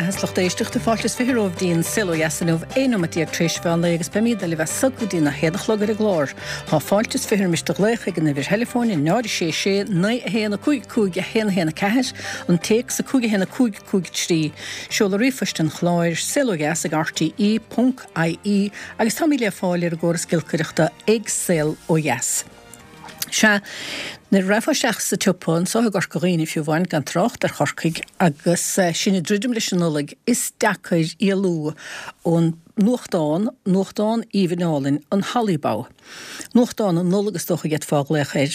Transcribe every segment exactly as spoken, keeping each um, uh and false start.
Sea, a lucht éisteachta fáilte is fiche romhaibh dtí'n Saol Ó Dheas inniu aon nóiméad déag tar éis mheán lae agus beimid libh as so go dtí a haon a chlog ar an gclár. Tá fáilte is fiche roimis do ghlaoch ag an uimhir theileafóin náid sé sé naoi a haon a cúig cúig a haon a haon a ceathair an téacs a cúig a haon a cúig cúig trí. Seoladh ríomhphoist an chláir saol ó dheas ag RTE ponc IE agus táimid le fáil ar an gcóras giolcaireachta ag Saol Ó Dheas. Sea, nuair a rachfá isteach sa tsiopa anseo i gCorca Dhuibhne fiú amháin gan trácht ar Chorcaigh agus sinn ag druidim leis an Nollaig, is deacair éalú ón nuachtán, nuachtán aoibhinn álainn, an Hollybough. Nuachtán na Nollag is dócha a d'fhéadfá a ghlaoch air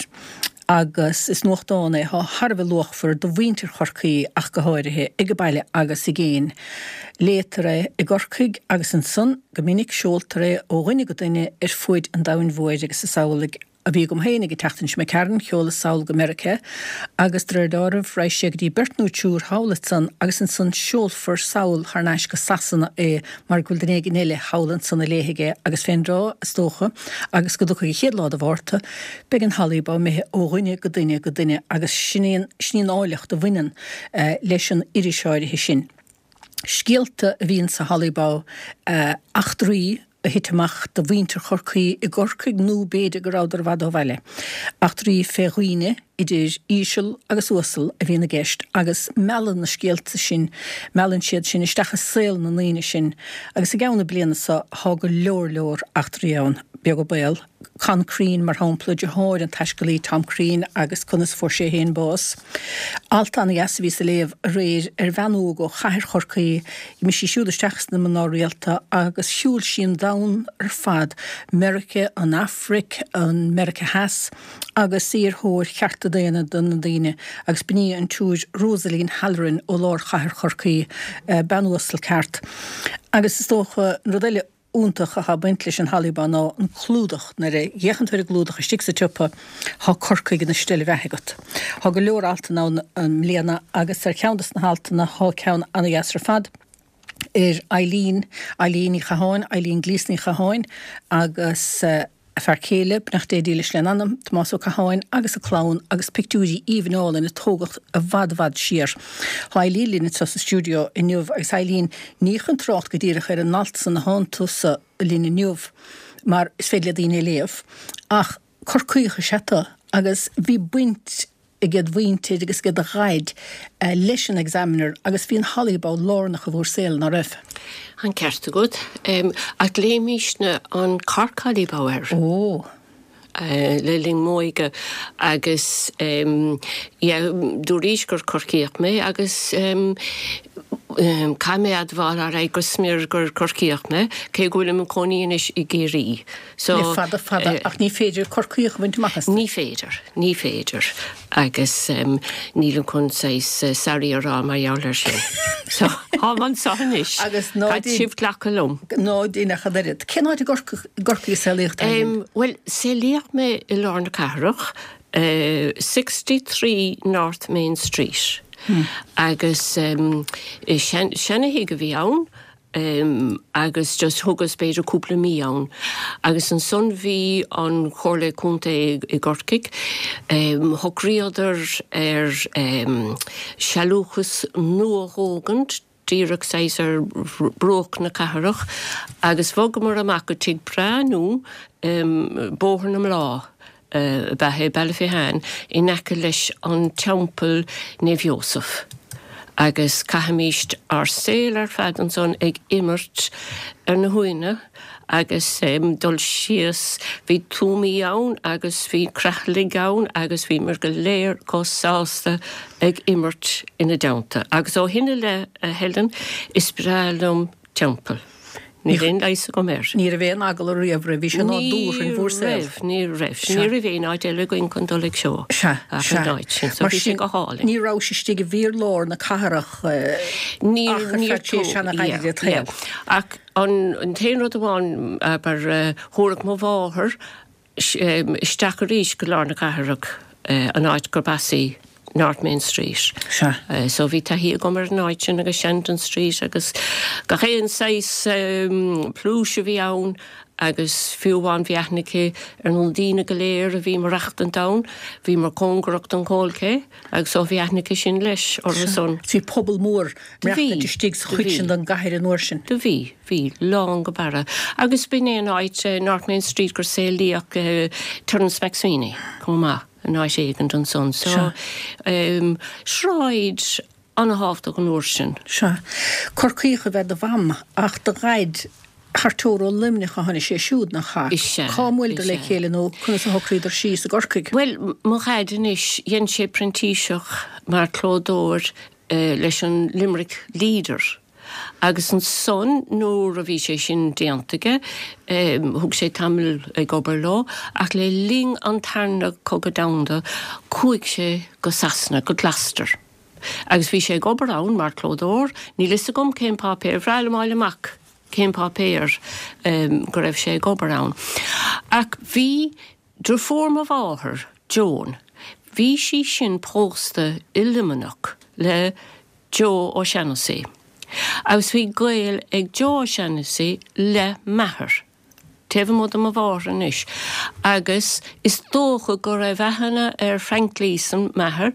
agus is nuachtán é atá thar a bheith luachmhar do mhuintir Chorcaí ach go háirithe, ag baile agus i gcéin. Léitear é i gCorcaigh agus ansan go minic seoltar é ó dhuine go duine ar fuaid an domhain mhóir agus is amhlaidh a bhí agam féin ag an tseachtain seo imigh tharainn, sheolas sall go Meiriceá agus de réir dealraimh raghaidh sé go dtí beirt nó triúr thall ansan agus ansan seolfar sall thar n-ais go Sasana é mar go bhfuil duine éigin eile thall ansan a léifidh é agus fén dtráth, is dócha, agus go dtiocfaidh an chéad lá de Mhárta, beidh an Hollybough imithe ó dhuine go duine go duine agus sin í an, sin í an áilleacht a bhaineann leis an iris áirithe sin. Scéalta a bhíonn sa Hollybough, eachtraí a thit amach do mhuintir Chorcaí i gCorcaigh nó b'fhéidir go rabhadar i bhfad ó bhaile. Eachtraí fé dhaoine, idir íseal agus uasal, a bhíonn i gceist agus meallann na scéalta sin, meallann siad sinn isteach i saol na ndaoine sin agus i gceann na bliana seo thá go leor leor eachtraí ann, beag an baol. Con Crean, mar shampla, deartháir an taiscéalaí Tom Crean agus conas a fuair sé féin bás. Alt an-dheas a bhíos a léamh aréir ar bhean óg ó chathair Chorcaí. D'imigh sí siúd isteach sna mná rialta agus shiúil sí an domhan ar fad, Meiriceá, an Afraic, an Meiriceá Theas, agus í ar thóir chearta daonna do na daoine agus b'in í an tSiúr Rosaleen Halloran ó lár chathair Chorcaí, bean uasal ceart. Agus is dócha an rud eile iontach atá ag baint leis an Hollybough ná an clúdach. Nuair a fhéachann tú ar an gclúdach istigh sa tsiopa, tá Corcaigh ina steillebheatha agat. Tá go leor altanna ann i mbliana agus ar cheann de na haltanna tá ceann an-dheas ar fad ar Eileen, Eileen Ní Chatháin, Eileen Gleeson Ní Chatháin agus a fear céile, beannacht Dé dílis lena anam, Tomás Ó Catháin agus a clann agus pictiúirí aoibhinn álainn a tógadh i bhfad i bhfad siar. Tá Eileen linn anseo sa stiúideo inniu agus Eileen, ní chun trácht go díreach ar an alt san atánn tusa linn inniu mar is féidir le daoine é léamh ach Corcaíoch is ea tú agus bhí baint ag do mhuintir agus ag do dhaid leis an Examiner agus bhí an Hollybough lárnach i bhur saol, ná raibh? An ceart agat. Ach léimisne an Cork Hollybough air. Ó! le linn m'óige agus yeah dúraís gur Corcaíoch mé agus caithfidh mé admháil alright go smior gur Corcaíoch mé, cé go bhfuilim i mo chónaí anois i gCiarraí. So, Le fada fada, ach ní féidir Corcaíoch a bhaint amach as. Ní féidir, ní féidir. Agus nílim chun saghas sorry a rá mar gheall air sin. So, táim anseo anois. Agus ná Caithfidh sibh glacadh liom. Ná déan ach an oiread. Cén áit i gCorcaigh a saolaíodh tú? Bhuel, saolaíodh mé i lár na cathrach, sixty three North Main Street. Agus seana-thigh a bhí ann. agus just thugas b'fhéidir cúpla mí ann. Agus ansan bhí an Chomhairle Contae i gCorcaigh, shocraíodar ar sealúchas nua a thógaint díreach saghas ar bhruach na cathrach agus bhogamar amach go tigh breá nua, Bóthar na mBláth. Ab ea é Baile Finneáin in aice leis an Teampall Naomh Iósaf agus chaithimíst ár saol ar fad ansan ag imirt ar na huaigheanna agus dul síos, bhí tuamaí ann agus bhí creatlaigh ann agus bhíomar go léir chomh sásta ag imirt ina dteannta. Agus ó shin i leith, a Helen, is breá liom teampall. Níl aon leigheas agam air. Ní raibh aon eagla riamh roimh, bhí sé nádúrtha in bhur saol. Ní raibh, ní raibh. Ní raibh aon áit eile againn chun dul ag seó ach an áit sin, so bhí sé go hálainn. Ní rabhais istigh i bhfíorlár na cathrach ach ar feadh tréimhse an-ghairid de do shaol. Ach an t-aon rud amháin, abair, thabharfadh mo mháthair isteach arís go lár na cathrach, an áit gurb as í, North Main Street. Sea. So bhí taithí agam ar an áit sin agus Shandon Street agus gach aon saghas pluais a bhí ann Agus fiú amháin bhí aithne aici ar na daoine go léir a bhí maireachtaint ann, bhíomar cóngarach don Coal Quay agus so bhí aithne aici sin leis orthu san. Bhí pobal mór maireachtaint istigh sa chuid sin den gcathair an uair sin. Do bhí, bhí, lán go barra. Agus b'in é an áit, North Main Street, gur saolaíodh Terence MacSwiney chomh maith, in áit éigint ansan. So, sráid an-thábhachtach an uair sin. Sea. Corcaíoch ab ea do mham, ach do dhaid cartóir ó Luimneach a tháinig sé siúd, nach ea? Is ea. Cá mbuaileadar le chéile nó conas a shocraíodar síos i gCorcaigh? Bhuel, mo dhaid anois, dhein sé printíseach mar chlódóir leis an Limerick Leader agus ansan nuair a bhí sé sin déanta aige, thug sé tamall ag obair leo ach le linn an Tarna Cogadh Domhanda chuaigh sé go Sasana, go Gloucester. Agus bhí sé ag obair ann mar chlódóir, níl fhios agam cén páipéar, bhreá liom fháil amach cén páipéar go raibh sé ag obair ann. Ach bhí deirfiúr mo mháthar, Joan, bhí sí sin pósta i Luimneach le Joe O'Shannessy. Agus bhí gaol ag Joe O'Shannessy le m'athair, taobh amuigh de mo mháthair anois. Agus is dócha go raibh aithne ar Frank Gleeson, m'athair,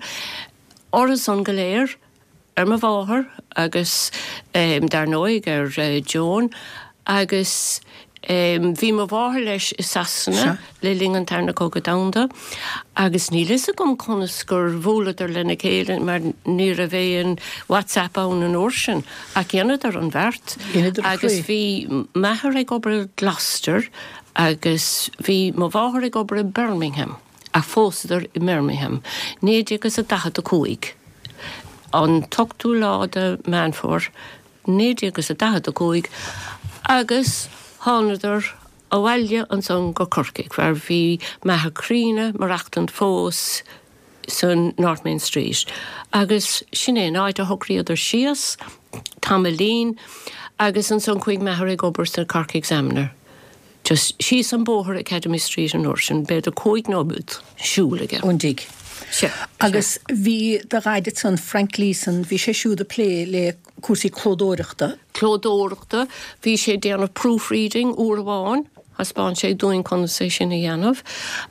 orthu san go léir, ar mo mháthair agus dar ndóigh ar Joan agus bhí mo mháthair leis i Sasana le linn an Tarna Cogadh Domhanda agus níl fhios agam conas gur bhuaileadar lena chéile mar ní raibh aon WhatsApp ann an uair sin ach dheineadar an bheart agus bhí m'athair ag obair i Gloucester agus bhí mo mháthair ag obair i Birmingham. Ach phósadar i mBirmingham, naoi déag is a daichead a cúig, an t-ochtú lá de Meán Fómhair, naoi déag is a daichead a cúig, agus thánadar abhaile ansan go Corcaigh, mar bhí m'athair críonna maireachtaint fós san North Main Street. Agus sin é an áit a shocraíodar síos, tamaillín, agus ansan chuaigh m'athair ag obair sa Cork Examiner. Just síos an bóthar Academy Street an uair sin, b'fhéidir cúig nóiméad siúil aige. Ón dtigh. Sea. Agus bhí do dhaid ansan, Frank Gleeson, bhí sé siúd ag plé le cúrsaí clódóireachta. Clódóireachta, bhí sé ag déanamh proofreading uair amháin, thaispeáin sé dúinn conas é sin a dhéanamh,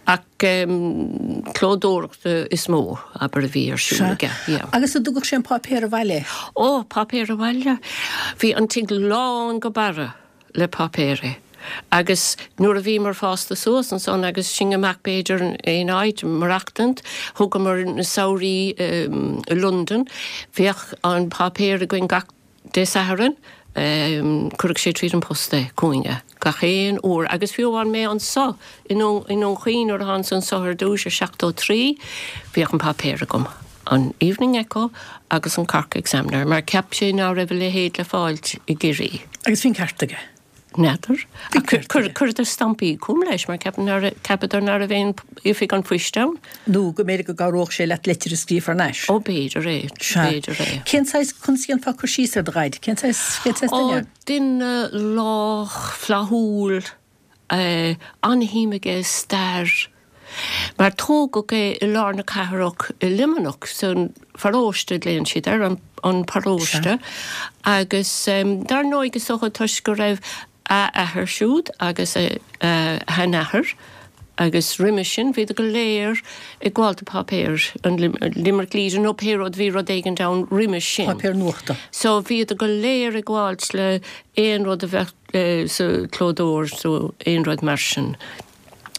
ach clódóireachta is mó, abair, a bhí ar siúl aige. Sea. Agus an dtugadh sé an páipéar abhaile? Ó, páipéar abhaile! Bhí an tigh lán go barra le páipéirí. Agus nuair a bhíomar fásta suas ansan agus sinn amach b'fhéidir in aon áit maireachtaint, thugamar na samhraí i Londain, bheadh an páipéar againn gach Dé Sathairn, chuirfeadh sé tríd an post é chugainne gach aon uair. Agus fiú amháin mé anso i nDún Chaoin nuair a thánas anso ar dtús i seachtó trí, bhíodh an páipéar agam, an Evening Echo agus an Cork Examiner, mar cheap sé ná raibh a leithéid le fáilt i gCiarraí. Agus bhí an ceart aige. N'fheadar. Ach chuireadar stampaí chugam leis mar cheapadar ná raibh aon oifig an phoist ann. Nó go mb'fhéidir go gcabhródh sé leat litir a scríobh thar n-ais. Ó b'fhéidir é, b'fhéidir é. Cén saghas, conas a dhéanfá cur síos ar do dhaid? Cén saghas, cén saghas duine é? Ó, duine lách, flaithiúil, an-shuim aige i stair. Mar tógadh é i lár na cathrach i Luimneach, san pharóiste a ghlaonn siad air, an paróiste, agus dar ndóigh is dócha toisc go raibh a athair siúd agus a sheanathair agus roimhe sin, bhíodar go léir ag gabháil do páipéar an Limerick Leader nó pé rud, bhí rud éigin ann roimhe sin. Páipéar nuachta. So bhíodar go léir ag gabháilt le aon rud a bheadh sa chlódóir nó aon rud mar sin.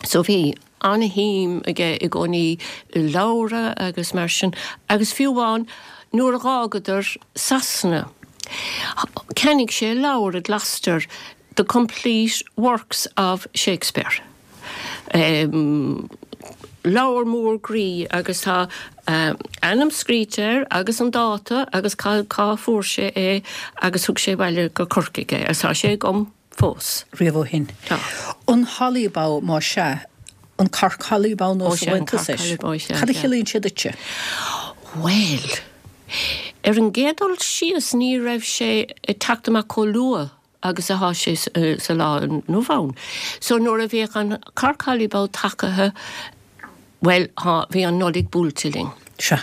So bhí an-shuim aige i gcónaí i leabhra agus mar sin agus fiú amháin nuair a dh'fhágadar Sasana cheannaigh sé leabhar i Gloucester The Complete Works of Shakespeare. Leabhar mór groí agus tá a ainm scríte air agus an dáta agus cá fuair sé é agus thug sé abhaile go Corcaigh é agus tá sé agam fós. Riamh ó shin. Tá. An Hollybough más ea, an Cork Hollybough nó Ó sea, an Cork Hollybough, sea. Cad a chiallaíonn sé duitse? Bhuel, ar an gcéad dul síos ní raibh sé ag teacht amach chomh luath agus atá sé sa lá inniu ann. So nuair a bhíodh an Cork Hollybough tagaithe, bhuel, bhí an Nollaig buailte linn. Sea.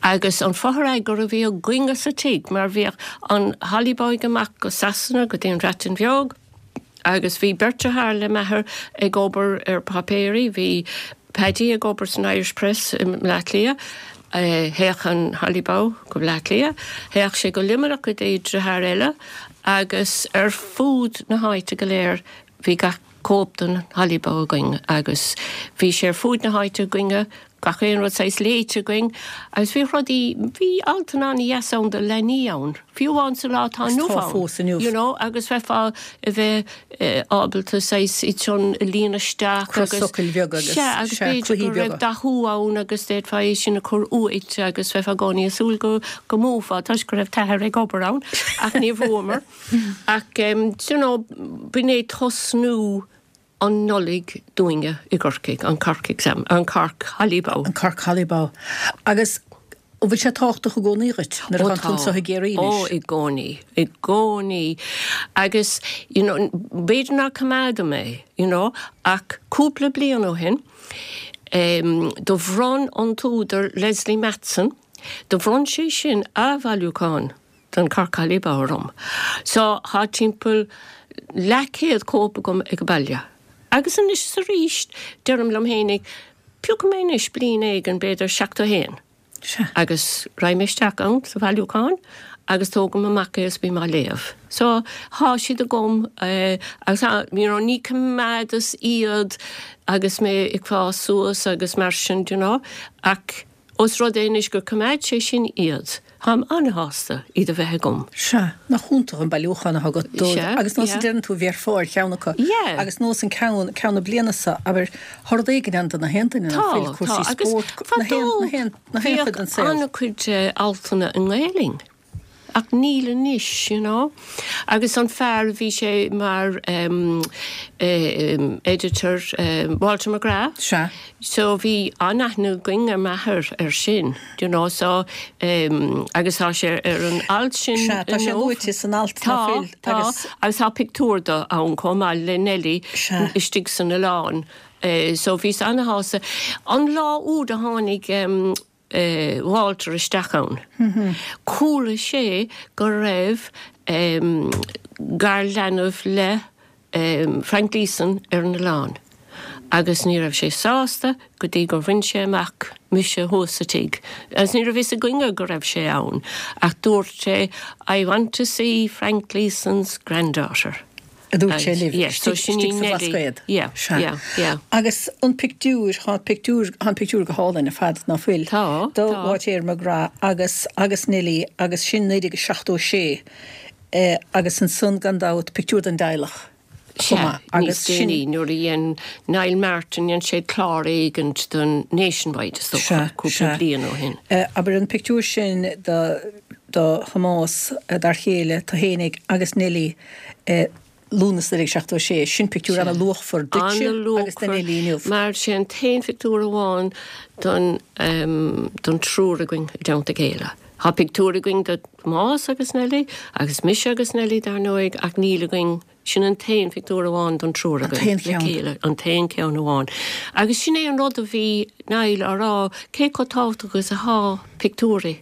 Agus an fotheagar a bhí againne sa tigh, mar bhíodh an Hollybough amach go Sasana, go dtí an Bhreatain Bheag, Agus bhí beirt deartháir le m'athair ag obair ar páipéirí, bhí Paddy ag obair san Irish Press i mBleá Cliath, théadh an Holly Bough go Bleá Cliath, théadh sé go Luimneach go dtí deartháir eile agus ar fud na háite go léir bhí gach cóip den Holly Bough againn agus bhí sé ar fud na háite againne, gach aon rud saghas léite againn agus bhí rudaí, bhí altanna an-dheas ann do leanaí ann, fiú amháin sa lá atá inniu Tá ann. fós inniu. You know, agus bheifeá a bheith ábalta saghas iad sin a líonadh isteach agus Crosfhocail bheaga agus Sea, agus sea, b'fhéidir cluichí go raibh beaga. dathú ann agus d'fhéadfá é sin a chur uait agus bheifeá i gcónaí ag súil go go mbuafá toisc go raibh t'athair ag obair ann ach níor bhuamar. Ach um, you know, b'in é tosnú an Nollaig dúinne i gCorcaigh, an Cork Exam, an Cork Holly Bough. An Cork Holly Bough. Agus an bhfuil sé tábhachtach i gcónaí dhuit nuair atá tú anseo i gCiarraí Ó, anois? i gcónaí, i gcónaí. Agus, you know, b'fhéidir ná coimeádaim é, you know, ach cúpla bliain ó shin, um, do bhronn an t-údar Leslie Matson, do bhronn sé sin a bhailiúchán den Cork Holly Bough orm. So tá timpeall leathchéad cóip agam ag baile. Agus anois is arís deirim liom féinig, piocfaidh mé anois bliain éigin b'fhéidir seachtó haon. Sea. Agus raghaidh mé isteach ann sa bhailiúchán agus tógaim amach é is bím á léamh. So tá siad agam eh, agus tá, you know, ní coimeádas iad agus mé ag fás suas agus mar sin, you know, ach os rud é anois gur coimeád sé sin iad, Táim an-shásta iad a bheith agam. Sea, nach iontach an bailiúchán atá agat dó Sea, agus nós yeah. a deireann tú bhéarfá ar cheann acu. Yeah. Agus nós an ceann ceann na bliana seo, abair tá rud éigin ann do na haon duine, Tá, fuil cúrsaí tá, agus spóirt, na haon na haon na haon chuid den saol. an-chuid eh, altanna i nGaelainn. Ach níl anois, you know. Agus an fear bhí sé mar um, um, editor um, Walter McGrath. Sea. So bhí an-aithne againn ar m'athair ar sin, you know, so um, agus tá sé ar an alt sin Sea, tá sé inniu. luaite san alt Tá, ná fuil, tá, agus- agus tá pictiúr de ann chomh maith le Nelly Sea. istigh san oileán. Uh, so bhí an-shásta. An lá úd a tháinig um, uh, Walter isteach ann. Chuala sé go raibh um, garleanbh le um, Frank Gleeson ar an oileán. Agus ní raibh sé sásta go dtí gur bhain sé amach mise thuas sa tigh. Agus ní raibh fhios againne go raibh sé ann, ach dúirt sé, I want to see Frank Gleeson's granddaughter. A dúirt sé libh, Yes, so sin í istigh sa Nelly. Bhlascaod. Yeah, Sea. yeah, yeah. Agus an pictiúr, tá pictiúr, tá an pictiúr go hálainn ar fad ná fuil. Tá, Do tá. Walter McGrath agus agus Nelly agus sin naoi déag seachtó sé eh, agus ansan gan dabht pictiúr den dteaghlach. Sea, chomh maith. níos Agus sin déanaí nuair a dhein Niall Martin dhein sé clár éigint don Nationwide is dócha, Sea, cúpla sea. bliain ó shin. Eh, abair an pictiúr sin do do Thomás eh, dar chéile tú fhéinig agus Nelly eh, Lúnasa naoi déag seachtó sé, sin pictiúr an-luachmhar duitse agus do Nelly inniu. Mar sé an t-aon phictiúr amháin don, um, don triúr againn i dteannta a chéile. Tá pictiúr againn de Thomás agus Nelly, agus mise agus Nelly dar ndóigh ach níl againn sin an t-aon phictiúr amháin don triúr An againn t-aon le cheann. chéile, an t-aon cheann amháin. Agus sin é an rud a bhí Niall á rá cé chomh tábhachtach agus atá pictiúirí.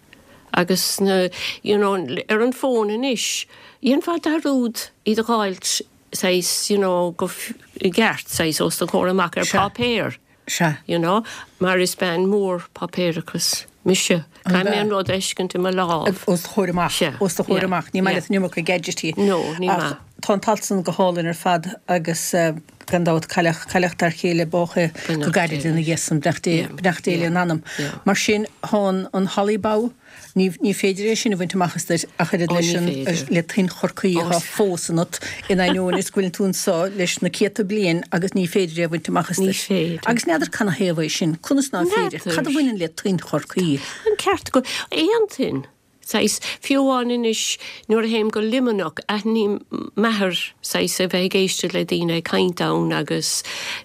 Agus na, you know, ar an bhfón anois, dhéanfá dearúd iad a fháilt saghas, you know, go f- i gceart saghas os do chomhair amach ar Sea. páipéar. Sea. You know, mar is bean mór páipéarachas mise. An Caithfidh mé bea? an rud a fheiscint i mo lámh. Os do chomhair amach, Sea, os do chomhair yeah, amach, ní maith yeah. leat an iomarca gadgetí. No, ní Ach maith. Tá an t-alt san go hálainn ar fad agus eh, gan dabht cailleadh cailleadh dar chéile bócha go Beannacht gairid Dé ina leis. dhiaidh san beannacht Dé Yeah, beannacht Dé yeah, lena anam. yeah. Mar sin tá an Holly Bough ní ní féidir é sin a bhaint amach as duit ach oiread Ó, leis ní an féidir. le tuin Chorcaí Ó, atá fós ionat in ainneoin is go bhfuil tú anseo leis na céadta bliain agus ní féidir é a bhaint amach as Ní duit. féidir. Agus n'fheadar canathaobh é sin, conas ná féidir, N'fheadar. cad a bhaineann le tuin Chorcaí. An ceart go aon tuin. Saghas fiú amháin anois nuair a théim go Luimneach aithním m'athair saghas a bheith ag éisteacht le daoine ag caint ann agus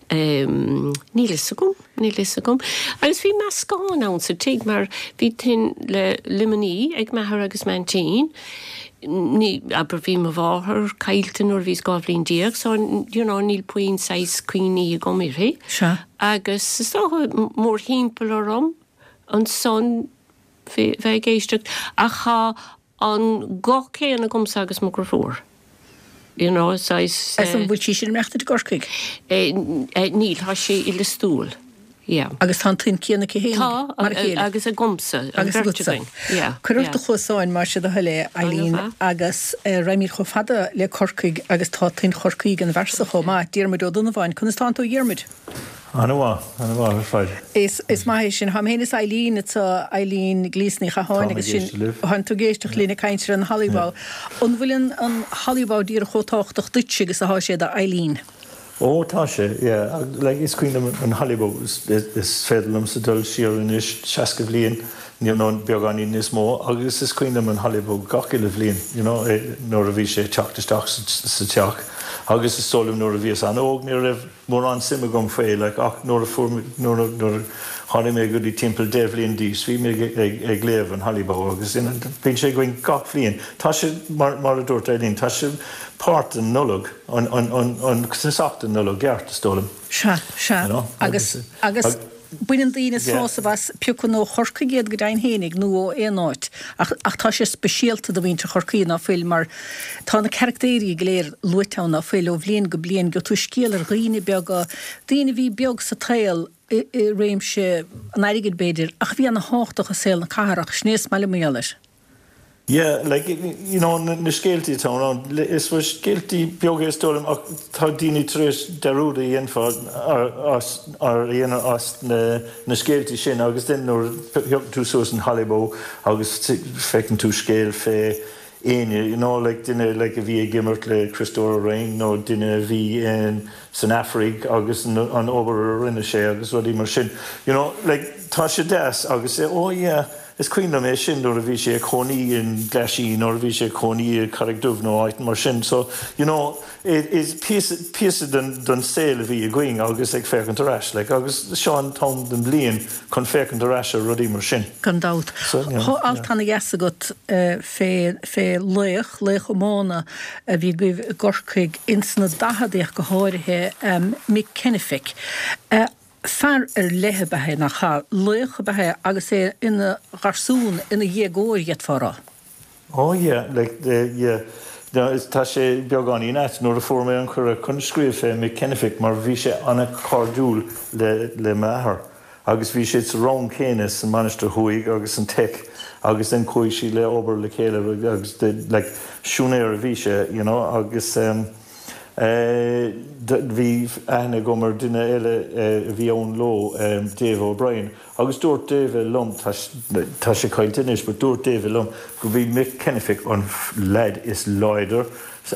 um, níl fhios agam, níl fhios agam. Agus bhí meascán ann sa tigh mar bhí tuin le Luimnigh ag m'athair agus m'aintín. Ní abair bhí mo mháthair caillte nuair a bhíos dhá bhliain déag, so you know, níl puinn saghas cuimhní agam uirthi. Sea. Agus is dócha mórthimpeall orm ansan bheith ag éisteacht ach tá an guth céanna agamsa agus mo dheirfiúr. you know, saghas. Is an bhfuil sí sin ag maireachtaint i gCorcaigh? Níl, tá sí i Lios Tuathail. Yeah. Agus tá an tuin céanna aici féin? Tá, mar a chéile. Agus agamsa, an Agus bheirt agatsa. againn. Yeah, Cuir ort yeah. do chluasáin mar sin do thoil é, Eileen, An-mhaith. agus eh, raghaimid chomh fada le Corcaigh agus tá tuin Chorcaí ag an bhfear so chomh maith, Diarmuid Ó Donnabháin. Conas tánn tú, a Dhiarmuid? An-mhaith, an-mhaith ar fad. Is, is maith é sin. Táim féin is Eileen, tá Eileen Gleeson Ní Chatháin Táim agus ag sin éisteacht libh. Tánn tú ag éisteacht linn ag caint ar an Hollybough. An bhfuil an, an Hollybough díreach chomh tábhachtach duitse agus atá sé do Eileen? Ó tá sé, yeah. Like, is cuimhin liom an Hollybough is, is féidir liomsa dul siar anois seasca bhliain nó beagáinín níos mó agus is cuimhin liom an Hollybough gach uile bhliain, you know, nuair a bhí sé teacht isteach sa teach. Agus is dóigh liom nuair a bhíos an-óg ní raibh mórán suim agam faoi, like, ach nuair a fuair nuair a nuair a tháinig mé go dtí timpeall deich bhliain d'aois, bhí mé ag, ag, ag léamh an Hollybough agus you know, bíonn sé againn gach bhliain. Tá sé mar, mar a dúirt Eileen, tá sé páirt den Nollaig, an, an, an, an tosach den Nollaig ceart is dóigh liom. Sea, sea. You know, Agus, agus- agus baineann daoine Yeah. sásamh as pé acu ó Chorcaigh iad go deimhin fhéinig nó ó aon áit. Ach, ach tá sé speisialta do mhuintir Chorcaí ná fuil mar tá na carachtéirí go léir luaite ann ná fuil ó bhliain go bliain go tú scéal ar dhaoine beaga, daoine bhí beag sa tsaol i, i réimse an airgid b'fhéidir, ach bhí an-tábhachtach i saol na cathrach, sin é is maith liom mar gheall air. Yeah, like, you know, na, na scéaltaí atá ann, is bhfuil scéaltaí beaga is dóigh liom ach tá daoine tar éis dearúd a dhéanamh as ar dhéanamh as na, na scéaltaí sin agus then nuair thiogann tú suas an Hollybough agus feiceann tú scéal fé éinne, you know, like duine like a bhí ag imirt le Christopher Rain nó duine a bhí in san Afraig agus an, an obair a rinne sé agus rudaí mar sin. You know, like tá sé deas agus é, oh yeah, is cuimhin liom é sin nuair a bhí sé cónaí in Glasheen nuair a bhí sé cónaí i Carraig Dubh nó áit mar sin. So, you know, it is píosa den, den saol a bhí againn agus ag féachaint ar ais, like, agus seo an t-am den bhliain chun féachaint ar ais ar rudaí mar sin. Gan dabht. So, yeah, Tá alt ana-dheas agat eh, fé, fé laoch, laoch iomána a bhí agaibh i gCorcaigh ins na daicheadaí go háirithe um, Mick Kennefick. Uh, fear ar leith ab ea é nach ea, laoch ab ea é agus é ina gharsún ina dhéagóir d'fhéadfá a rá. Oh yeah, like the, yeah. No, is tá sé beagáinín ait nuair a fuair mé an cuireadh chun scríobh fé Mick Kennefick mar bhí sé an-chairdiúil le, le m'athair. Agus bhí sé sa rang céanna san Mainistir Thuaidh agus an Tech agus then chuaigh siad le obair le chéile agus de, like, siúinéir a bhí sé, you know, agus um, uh, bhí aithne agam ar duine eile uh, a bhí ann leo um, Dave O'Brien. Agus dúirt Dave liom tá tá sé caillte anois, but dúirt Dave liom go bhí Mick Kennefick an leaid is láidir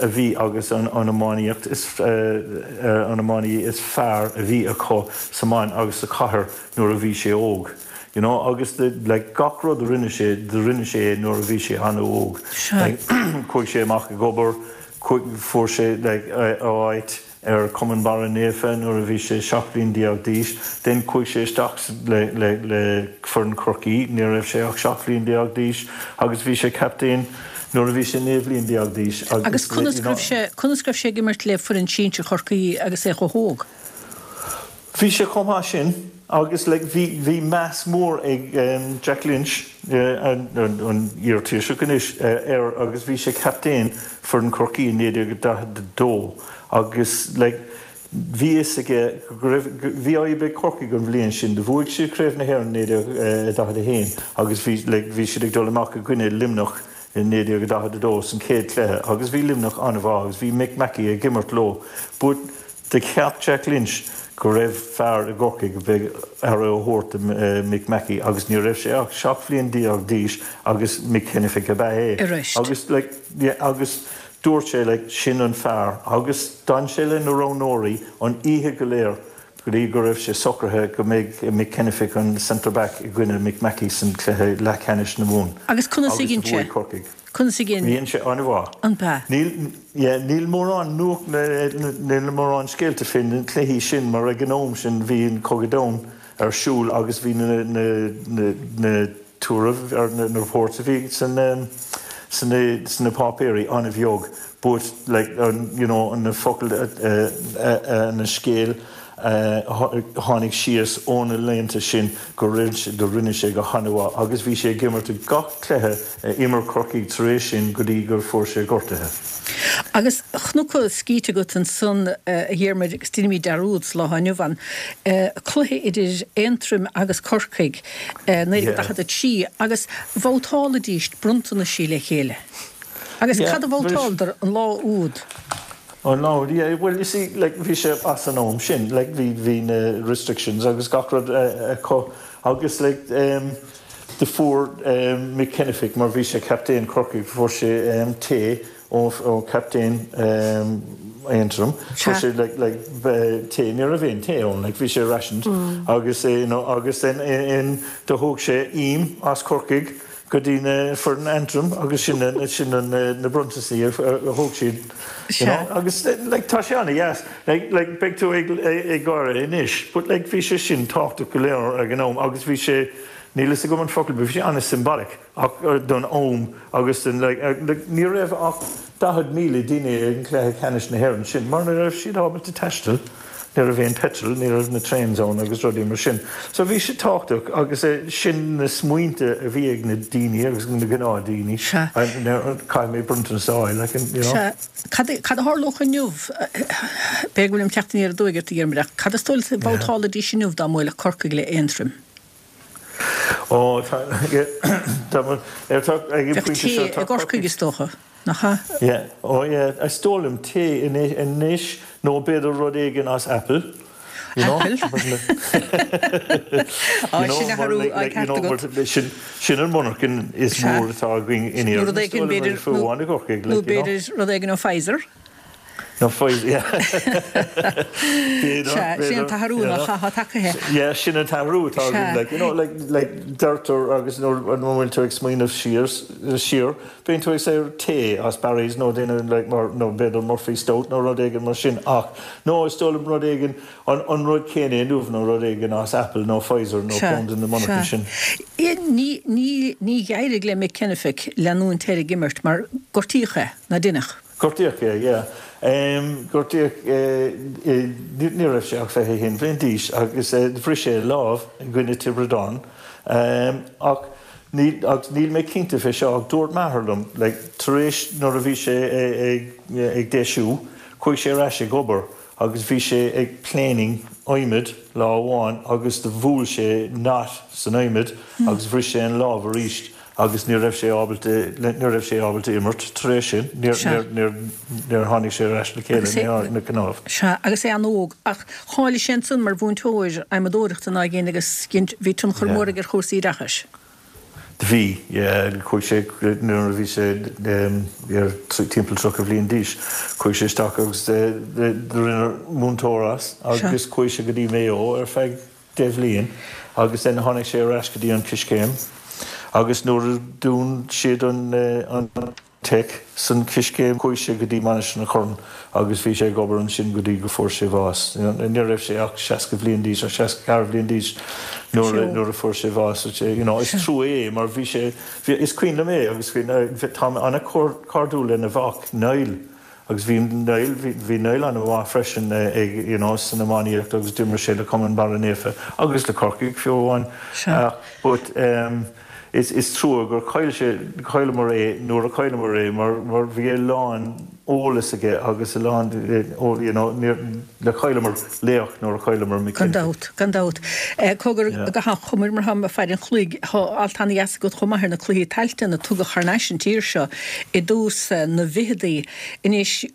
a bhí agus an an iománaíocht is uh, uh, an iománaí is fearr a bhí acu sa mBan agus sa chathair nuair a bhí sé óg. You know, agus the, like, gach rud a rinne sé do rinne sé nuair a bhí sé an-óg. Sea. Like, chuaigh sé amach ag obair, fuair sé like, áit ar Cumann Barra Naofa nuair a bhí sé seacht bliain déag d'aois, then chuaigh sé isteach le, le, le foireann Chorcaí, ní raibh sé ach seacht bliain déag d'aois, agus bhí sé captaen nuair a bhí sé naoi bliain déag d'aois. Agus conas go raibh sé conas go raibh sé ag imirt le foireann sinsir Chorcaí agus é chomh hóg. Bhí sé chomh maith sin agus like, bhí, bhí meas mór ag um, Jack Lynch uh, an, an, an iar-Thaoiseach anois uh, air agus bhí sé captaen foireann Chorcaí naoi déag daichead a dó agus like, bhí fhios aige go raibh bhí fadhb ag Corcaigh an bhliain sin, do bhuaigh siad Craobh na hÉireann naoi déag daichead a haon agus bhí like, bhí siad ag dul amach i gcoinne Luimneach in naoi déag daichead a dó san chéad chluiche agus bhí Luimneach an-mhaith agus bhí Mick Mackey ag imirt leo. But do cheap Jack Lynch go raibh fear i gCorcaigh go bheadh aire a thabhairt uh, Mick Mackey agus ní raibh sé ach seacht bliain déag d'aois agus Mick Kennefick ab ea é. Arís. Agus like, yeah, agus dúirt sé like, sin an fear agus d'fhan sé le na roghnóirí an oíche go léir go dtí go raibh sé socraithe go mbeidh Mick Kennefick an centre back i gcoinne Mick Mackey san cluiche leathcheannais na Mumhan. Agus conas a Agus ghin sé? bhuaigh Corcaigh. Conas a ghin Bhíonn sé an-mhaith. an ba. Níl yeah, níl mórán nuacht níl mórán scéalta fé na cluichí sin mar ag an am sin bhí an Cogadh Domhanda ar siúl agus bhí na, na, na, na tuairimh ar na, na reports a bhí san um, sna sna páipéirí an-bheag, but like um, you know an na focail uh, uh, uh, na scéal uh, tháinig síos óna laethanta sin go rinne sé do rinne sé go han-mhaith agus bhí sé ag imirt gach cluiche uh, imir Corcaigh tar éis sin go dtí gur fuair sé gortuithe. Agus cnoc scíte agat ansan a Dhiarmuid agus deinimid dearúd sa lá inniu ann, cluiche idir Aontroim agus Corcaigh naoi déag daichead a trí agus bhabhtálaidís bronntanaisí le chéile. Agus cad a bhabhtáladar an lá úd? An lá úd, yeah, well you see, like, bhí sé as an am sin, like, bhí, bhí na restrictions agus gach rud acu agus like, um, do fuair um, Mick Kennefick mar bhí sé captaen Corcaigh, fuair sé um, tae ó ó captaen um, Aontroim, fuair sé like, like, tae, ní raibh aon tae ann, like, bhí sé rationed mm. agus eh, you know, agus then in, in, do thóg sé im as Corcaigh go dtí na foireann Aontroim agus sin na sin na na bronntanais a thóg siad you know, agus like, tá sé an-deas like, like, beidh tú ag ag gáire anois but like, bhí sé sin tábhachtach go leor ag an am agus bhí sé Níl fhios agam an focal, bhí sé an-symbolic don am agus den like, like, ní raibh ach daichead míle duine ag an cluiche ceannais na hÉireann sin, mar ní raibh siad ábalta taisteal, ní raibh aon petrol, ní raibh na trains ann agus rudaí mar sin. So bhí sé tábhachtach agus sin na smaointe a bhí ag na daoine agus na gnáthdaoine. Caithfidh mé bronntanas a fháil, like, you know. Sea. Cad cad a tharlódh inniu? B'fhéidir go bhfuilim ag teacht aniar aduaidh ort a Dhiarmuid ach cad is dóigh leat a bhabhtálaidís inniu dá mbuailfeadh Corcaigh le Aontroim? Ó, tá, tá, ar tá, ag an Bheadh pointe seo, tae tá i gCorcaigh Corcaigh. is dócha, nach ea? Yeah, ó yeah, is dóigh liom tae anois nó b'fhéidir rud éigin as Apple, you know. Apple? Á, You know, sin mar athrú like, like, you ceart know, mar agat. sin, sin an monarchan is Sea. mór atá againn in Nó Éirinn, rud is éigin dóigh liom, b'fhéidir, fiú nó, amháin i gCorcaigh, nó like, you know. b'fhéidir rud éigin ó Pfizer. Nó Pfizer, yeah. B'fhéidir, Sea, sin an b'fhéidir, t-athrú you nach know. atá tagtha. Yeah, sin an t-athrú atá againn, Sea. like, you know, like, like, deirtear agus nuair a bhfuil tú ag smaoineamh siar, siar, bíonn tú ag say tae as Barry's nó duine, like, mar, nó b'fhéidir Murphy Stout nó rud éigin mar sin, ach no, is dóigh liom rud éigin, an, an rud céanna inniu nó rud éigin as Apple nó Pfizer nó Sea, ceann de na monarchana sea. sin. Ní, ní, ní d'éirigh le Mick Kennefick leanúint air ag imirt mar gortaíodh é, ná deineadh. Gortaíodh é, yeah. Um, gortaíodh eh, eh, ní raibh sé ach fiche haon bhliain d'aois agus eh, bhris sé lámh i gcoinne Tiobraid Árann. Um, ach níl, agus níl mé cinnte fé seo ach dúirt m'athair liom, like, tar éis nuair a bhí sé ag, ag, ag deisiú, chuaigh sé ar ais ag obair agus bhí sé ag planing adhmad lá amháin agus do bhuail sé knot san adhmad agus bhris sé an lámh arís agus ní raibh sé ábalta ní raibh sé ábalta imirt tar éis sin, níor Sea. níor níor níor tháinig sé ar ais le chéile Agus é- ní na cnámh. Sea, agus é an-óg, ach cháiligh sé ansan mar mhúinteoir adhmadóireachta ná dhéin agus bhí tionchar Yeah. mór aige ar chúrsaí oideachais. Bhí, yeah, chuaigh sé nuair a bhí sé um, ar timpeall tríocha bhliain d'aois, chuaigh sé isteach agus eh, rinneadh múinteoir as agus chuaigh sé go dtí Mayo ar feadh deich bhliain agus then tháinig sé ar ais go dtí an Coiscéim agus nuair a dún siad an, eh, an tech san Coiscéim chuaigh sé go dtí Mainistir an Chorráin agus bhí sé ag obair ansin go dtí go fuair sé bás. Ní raibh sé ach seasca bhliain d'aois ar seasca ceathair bhliain d'aois nuair Sure. nuair a fuair sé bás. You know, is trua é mar bhí sé bhí- is cuimhin liom é agus bhí tá an-chairdiúil lena mhac Niall agus bhí Niall bhí bhí Niall an-mhaith freisin eh, ag you know, san iománaíocht agus d'imir sé le Cumann Barra Naofa agus le Corcaigh fiú amháin. Sea. Uh, but um, is, is trua gur chaill sé chailleamar é nuair a chailleamar é mar, mar bhí a lán eolas aige agus a lán eh, ó, you know, níor- le chailleamar laoch nuair a chailleamar Gan McKenna. dabht, gan dabht. Eh, Cogar Yeah. go hachomair mar ha fear an chloig tá alt an-dheas agat chomh maith ar na cluichí Tailteann a tugadh thar n-ais an tír seo i dtús eh, na bhfichidí anois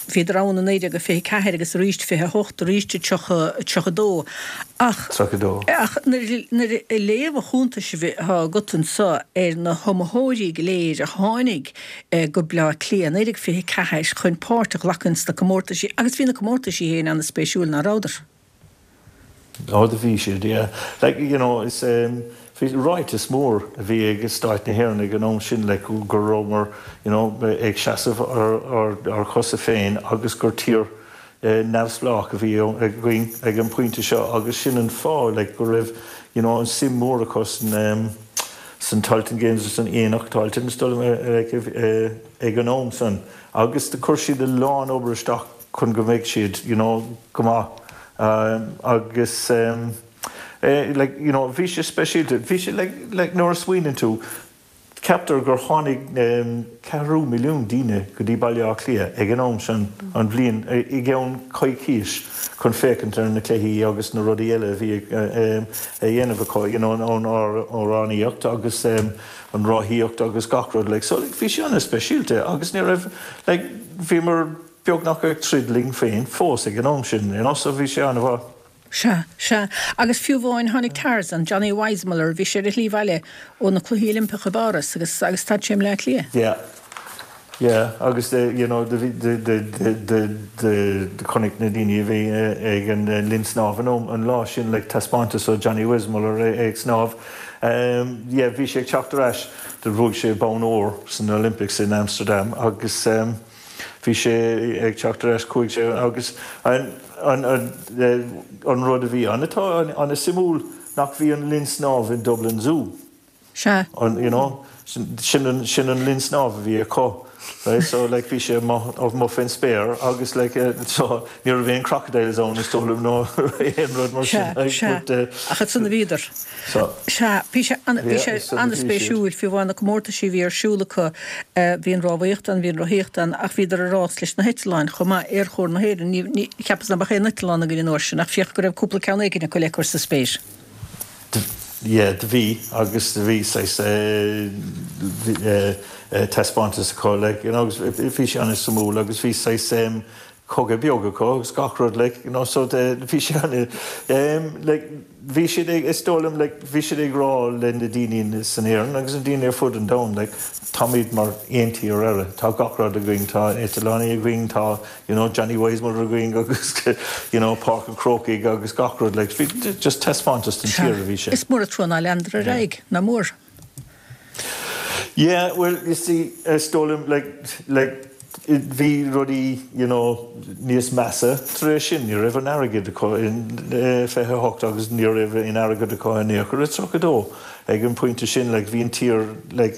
bhíodar ann i naoi déag a fiche ceathair agus arís fiche hocht arís tríocha tríocha dó. Ach Tríocha dó. Ach nuair nuair a léamh an chuntais atá agat anseo ar na hiomaitheoirí go léir a tháinig eh, go Bleá Cliath naoi déag fiche ceathair chun páirt a ghlacadh sna comórtaisí agus bhí na comórtaisí féin an-spéisiúil nach rabhadar. Ó do bhí siad, yeah. Like, you know, is um, bhí ráiteas mór a bhí ag Stát na hÉireann ag an am sin le go rabhamar you know, ag seasamh ar, ar, ar chosa féin agus gur tír eh, neamhspleách a bhí againn ag an pointe seo agus sin an fáth like, go raibh you know, an suim mór acu san, um, san Tailteann Games san Aonach Tailteann like, eh, ag an am san agus do chuir siad a lán obair isteach chun go mbeidh siad you know, go maith. Um, agus um, eh, like, you know, bhí sé speisialta bhí sé like, like, nuair a smaoiníonn tú Ceaptar gur tháinig ceathrú milliún daoine go dtí Baile Átha Cliath ag an am sin an bhliain i gceann coicís chun féachaint ar na cluichí agus na rudaí eile a bhí a dhéanamh acu, you know, an amhránaíocht agus an rothaíocht agus gach rud like. So like, bhí sé an-speisialta agus ní raibh like, bhíomar beagnach ag troid linn féin fós ag an am sin, you know, so bhí sé an-mhaith. Sea, sea. Agus fiú amháin tháinig Tarzan, Johnny Weissmuller, bhí sé ar a shlí abhaile ó na Cluichí Oilimpeacha i bPáras agus agus stad sé i mBleá Cliath. Yeah. Yeah, agus the, you know, the, the, the, the, the, the, the chonaic na daoine a bhí ag an linn snámh an an lá sin like taispeántas ó Johnny Weissmuller ag snámh. Um, yeah, bhí sé ag teacht ar ais do bhuaigh sé bonn óir san Olympics in Amsterdam agus um, bhí sé ag teacht ar ais chuaigh sé agus an, an, an, an rud a bhí an atá an-suimiúil nach bhí an linn snámh in Dublin Zoo. Sea. An, you know, sin an, sin an linn snámh a bhí acu. Right? So like bhí sé amuigh faoin spéir agus like uh, so ní raibh aon crocodiles ann is dóigh liom nó aon rud mar sin. Sea, sea. But, uh, Ach ansan a bhíodar. so, Sea, bhí sé an- bhí sé Yeah, is ann a bhí an-spéisiúil fiú amháin na comórtaisí bhí ar siúl acu bhí an rámhaíocht ann, bhí an rothaíocht ann, ach bhíodar ag rás leis na heitleáin chomh maith Aerchór na hÉireann. Ní, ní, cheapas nach mbeadh aon eitleán againn an uair sin, ach féach go raibh cúpla ceann éigin acu le cur sa spéir. Yeah, do bhí agus do bhí saghas taispeántas acu like, you know, agus bhí sé an-suimiúil agus bhí saghas um, cogadh beag acu agus gach rud like, you know, so the, bhí sé an um, like, bhí siad ag is dóigh liom like, bhí siad ag rá le na daoine san Éirinn agus na daoine ar fud an domhain like, táimid mar aon tír eile tá gach rud againn tá eitleáin againn tá you know, Johnny Weissmuller againn agus you know, Páirc an Chrócaigh agus gach rud like, bhí just taispeántas den tír a bhí sé. Is mór an trua nár leanadar ar aghaidh, nach mór. Yeah, well, you see, is dóigh liom like, like, bhí rudaí you know, níos measa tar éis sin, ní raibh an airgead acu in fiche hocht agus ní raibh an airgead acu in aon chor i tríocha dó. Ag an pointe sin like, bhí an tír like,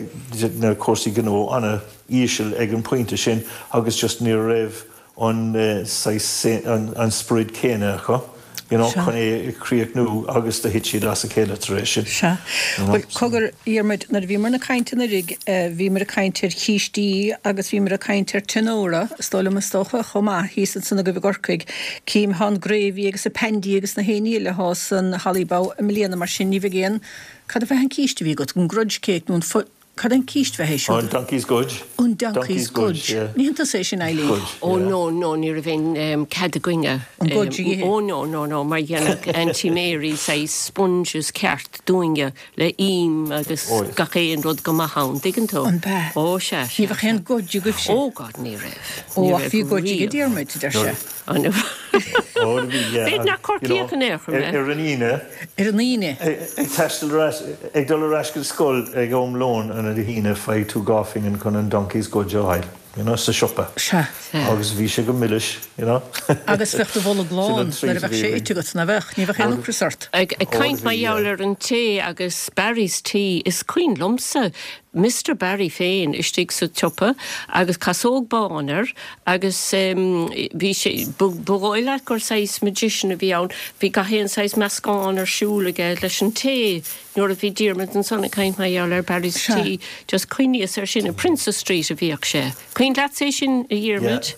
na cúrsaí gnó an-íseal ag an pointe sin agus just ní raibh an, uh, an, an sprid céanna acu. You know, chun é críochnú agus do thit siad as a chéile tar éis sin. Sea. Well, cogar Dhiarmuid, nuair a bhíomar ag caint anuraidh, bhíomar ag caint ar chístí agus bhíomar ag caint ar tinóra, is dóigh liom is dócha chomh maith thíos ansan agaibh i gCorcaigh. Cím thá an gravy agus an pandy agus na haon ní eile thá san Hollybough i mbliana mar sin ní bheidh aon cad a bheith an císte a bhí agat, an grudge cake nó an Cad an císt bheith é An donkey's gudge. An donkey's gudge. Ní hiontas é sin Eileen. Ó no no ní raibh aon cead againne. An gudge a ithe. Ó no no no mar dhéanadh Auntie Mary saghas sponges ceart dúinne le im agus gach aon rud go maith ann, tuigeann tú? An bea? Ó sea, Ní bheadh aon gudge agaibhse. Ó God ní raibh. Ó ach bhí gudge ag Diarmuid, deir sé. Ó bhí yeah. B'fhéidir nach Corcaíoch in aon chor mé. Ar an Aoine. Ar an Aoine. Ag taisteal ar ais, ag dul ar ais go scoil ag am lóin an ar Aoine faigh tú dhá phingin chun an donkey's gudge a fháil, you know, sa siopa. Sea. Agus bhí sé go milis, you know. Agus bheadh do bholg lán nuair a bheadh sé ite agat, nach bheadh, ní bheadh aon ocras ort. Ag caint mar gheall ar an tae agus Barry's tea, is cuimhin liomsa Mister Barry féin istigh sa tsiopa agus casóg bán air agus bhí sé, ba dhóigh leat gur saghas magician a bhí ann, bhí gach aon saghas meascán ar siúl aige leis an tae nuair a bhí Diarmuid ansan ag caint mar gheall ar Barry's tea, just cuimhníos air sin, i Princes Street a bhíodh sé. Cuimhin leatsa é sin, a Dhiarmuid?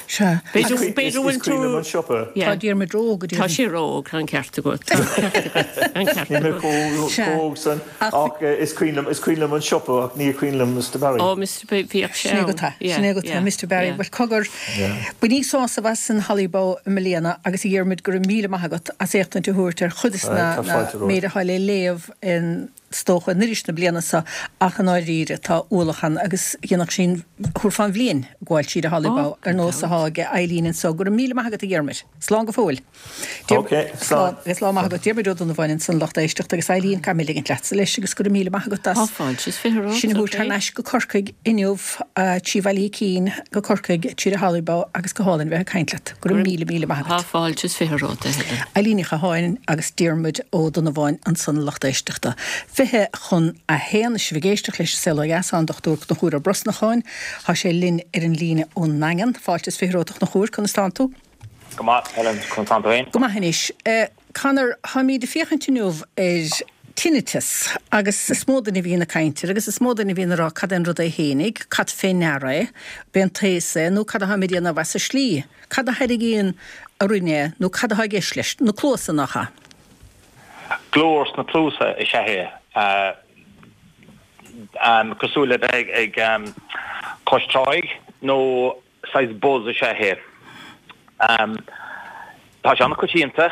Sea. B'fhéidir b'fhéidir bhfuil Is cuimhin liom tú an siopa. Tá Diarmuid ró-óg, a Tá Diarmuid. sé ró-óg, tá an ceart agat. Tá an ceart agat. Tá an ceart Níl mé agat. chomh Sea. chomh óg san Ach ach is cuimhin liom is cuimhin liom an siopa ach ní cuimhin liom Mister Barry. Ó Mister Barry bhíodh sé Sin é ann. go tá. Yeah, Sin é go tá, yeah, Mister Barry. yeah. Bhuel cogar, bainíodh sásamh as an Hollybough i mbliana agus a Dhiarmuid go raibh míle maith agat as éachtaint a thabhairt ar chuid de na Tá fáilte romhat. méid atá le léamh in is dócha in iris na bliana seo ach i ndáiríre tá ualach ann agus dhéanfadh sin thabharfá an bhliain ag gabháil tríd an Hollybough Ó, ar nós atá ag Eileen anseo. Go raibh míle maith agat a Dhiarmuid. Slán go fóill. Ok, slán. Agus lá maith agat Diarmuid Ó Donnabháin ansan lucht éisteachta agus Eileen caithfidh mé ligint leatsa leis agus go raibh míle maith agat as Tá fáilte is fiche romhat, sin a thabhairt ok. thar n-ais go Corcaigh inniu trí Bhaile Átha Cinn go Corcaigh tríd an Hollybough agus go hálainn bheith ag caint leat. Go raibh míle míle maith Tá agat. fáilte is fiche romhat, a Helen. Eileen Ní Chatháin agus Diarmuid Ó Donnabháin ansan lucht éisteachta. Fiche chun a haon sibh ag éisteacht leis Saol Ó Dheas an Dochtúir Conchúr Ó Brosnacháin, Tá sé linn ar an líne ón nDaingean, fáilte is fiche romhat a Chonchúir, conas tánn tú? Go maith, Helen, conas tánn tú féin? Go maith anois. Conor, táimid ag féachaint inniu ar Tinnitus, agus is mó duine a bhíonn ag caint air agus is mó duine a bhíonn ag rá cad é an rud é fhéinig, cad fé ndeara é, b'é an taos é nó cad atáim ag déanamh as an slí, cad a thairgíonn orainn é nó cad atá i gceist leis, na cluasa nach ea? Glór sna cluasa is ea é, cosúil le bheith ag cois tráigh nó saghas buzz is ea é. Tá sé an-choitianta,